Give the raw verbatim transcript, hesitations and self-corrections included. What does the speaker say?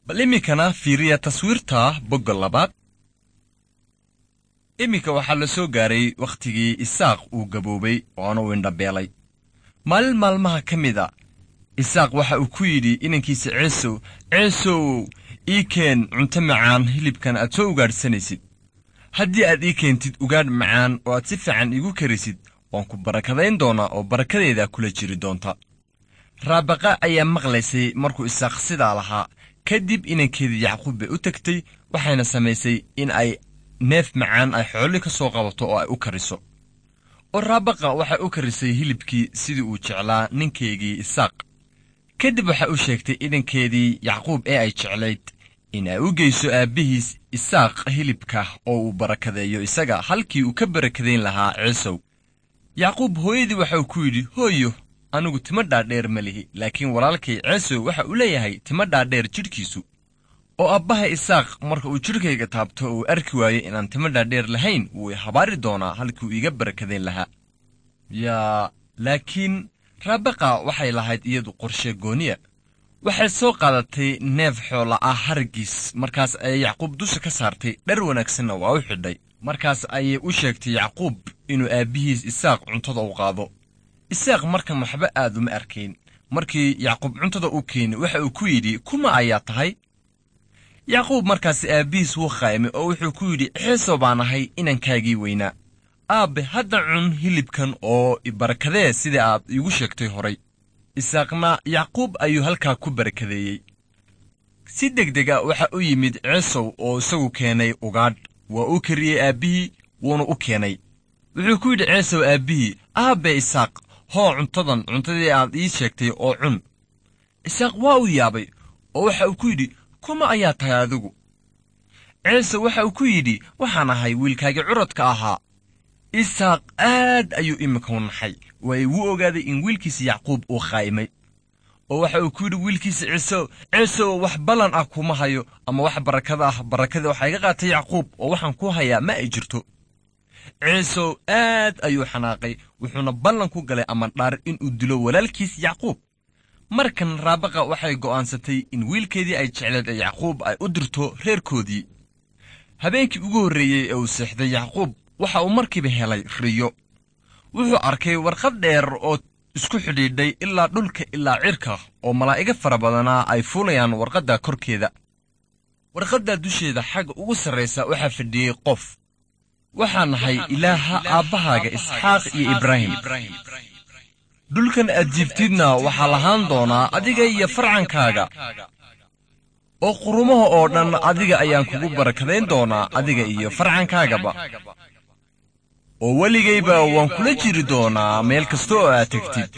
Bal iminkana fiiriya taswiirta bogga labaad. Iminka waxaa la soo gaaray wakhtigii Isaaq uu gaboobay oona uu indhabeelay. Maalin maalmaha ka mid a Isaaq waxa uu ku yidhi inankiisa Ceesow, Ceesow, ii keen cunto macaan hilibkan aad soo ugaadhsanaysid. Haddii aad ii keentid ugaadh macaan oo aad si fiican iigu karisid, waan ku barakadayn doonaa oo barakadeeda kula jiri doonta. Raabaqa ayaa maqlaysay markuu Isaaq sidaa lahaa. Kadib inankeedii Yacquub bay u tagtay, waxayna samaysay in ay neef macaan ay xooli ka soo qabato oo ay u kariso. Oo Raabaqa waxay u karisay hilibkii sidii uu jeclaa ninkeygii Isaaq. Kadib waxay u sheegtay inankeedii Yacquub ee ay jeclayd in ay u geyso aabbihiis Isaaq hilibka oo uu barakadeeyo isaga halkii uu ka barakadayn lahaa Ciisow. Yacquub hooyadii waxauu ku yidhi, hooyo, anigu timo dhaadheer ma lihi, laakiin walaalkay Ceesow waxa uu leeyahay timo dhaadheer jidhkiisu. Oo abbaha Isaaq marka uu jidhkayga taabto oo uu arki waayo inaan timo dhaadheer lahayn, wuu i habaari doonaa halkii uu iiga barakadayn lahaa. Yaa, laakiin Raabaqa waxay lahayd iyadu qorshe gooniya. Waxay soo qaadatay neef xoola ah haraggiis, markaas ayay Yacquub dusha ka saartay, dhar wanaagsanna waa u xidhay. Markaas ayay u sheegtay Yacquub inuu aabbihiis Isaaq cuntada u qaado. Isaaq markan waxba aad uma arkayn. Markii Yacquub cuntada u keenay waxa uu ku yidhi, kuma ayaa tahay? Yacquub markaasi aabbihiis wuu qaymay oo wuxuu ku yidhi, Ciisow baan ahay, inankaagii weynaa. Aabbe, hadda cun hilibkan oo ibarakadee sida aad iigu sheegtay horay. Isaaqna Yacquub ayuu halkaa ku barakadeeyey. Si degdeg ah waxa u yimid Ciisow oo isagu keenay ugaadh. Waa uu kariyey aabbihii, wuuna u keenay. Wuxuu ku yidhi Ciisow aabbihii, aabbe Isaaq, hoo cuntadan, cuntadii aad ii sheegtay oo cun. Isaaq waa uu yaabay oo waxa uu ku yidhi, kuma ayaa tahay adigu? Ciise waxa uu ku yidhi, waxaan ahay wiilkaagii curadka ahaa. Isaaq aad ayuu iminka u naxay, waayo wuu ogaaday in wiilkiisa Yacquub uu qaa'imay. Oo waxa uu ku yidhi wiilkiisa Ciisow, Ciisow, wax ballan ah kuma hayo ama wax barakada ah, barakadii waxaa iga qaatay Yacquub oo waxaan ku hayaa ma ay jirto. Ciisow aad ayuu xanaaqay, wuxuuna ballan ku galay ama dhaar inuu dilo walaalkiis Yacquub. Markan Raabaqa waxay go'aansatay in wiilkeedii ay jecleed ee Yacquub ay u dirto reerkoodii. Habeenkii ugu horreeyey ee uu seexday Yacquub waxa uu markiiba helay riyo. Wuxuu arkay warqad dheer oo isku xidhiidhay ilaa dhulka ilaa cirka, oo malaa'igo fara badanaa ay fuulayaan warqadda korkeeda. Warqadda dusheeda xagga ugu sarraysa waxaa fadhiyey qof. Waxaa nahay Ilaaha aabbahaaga Isxaaq iyo Ibraahim. Dhulkan aad jiiftidna waxaa lahaan doonaa adiga iyo farcankaaga, oo qurumaha oo dhan adiga ayaan kugu barakadayn doonaa, adiga iyo farcankaagaba. Oo weligayba waan kula jiri doonaa meel kasta oo aad tegtid.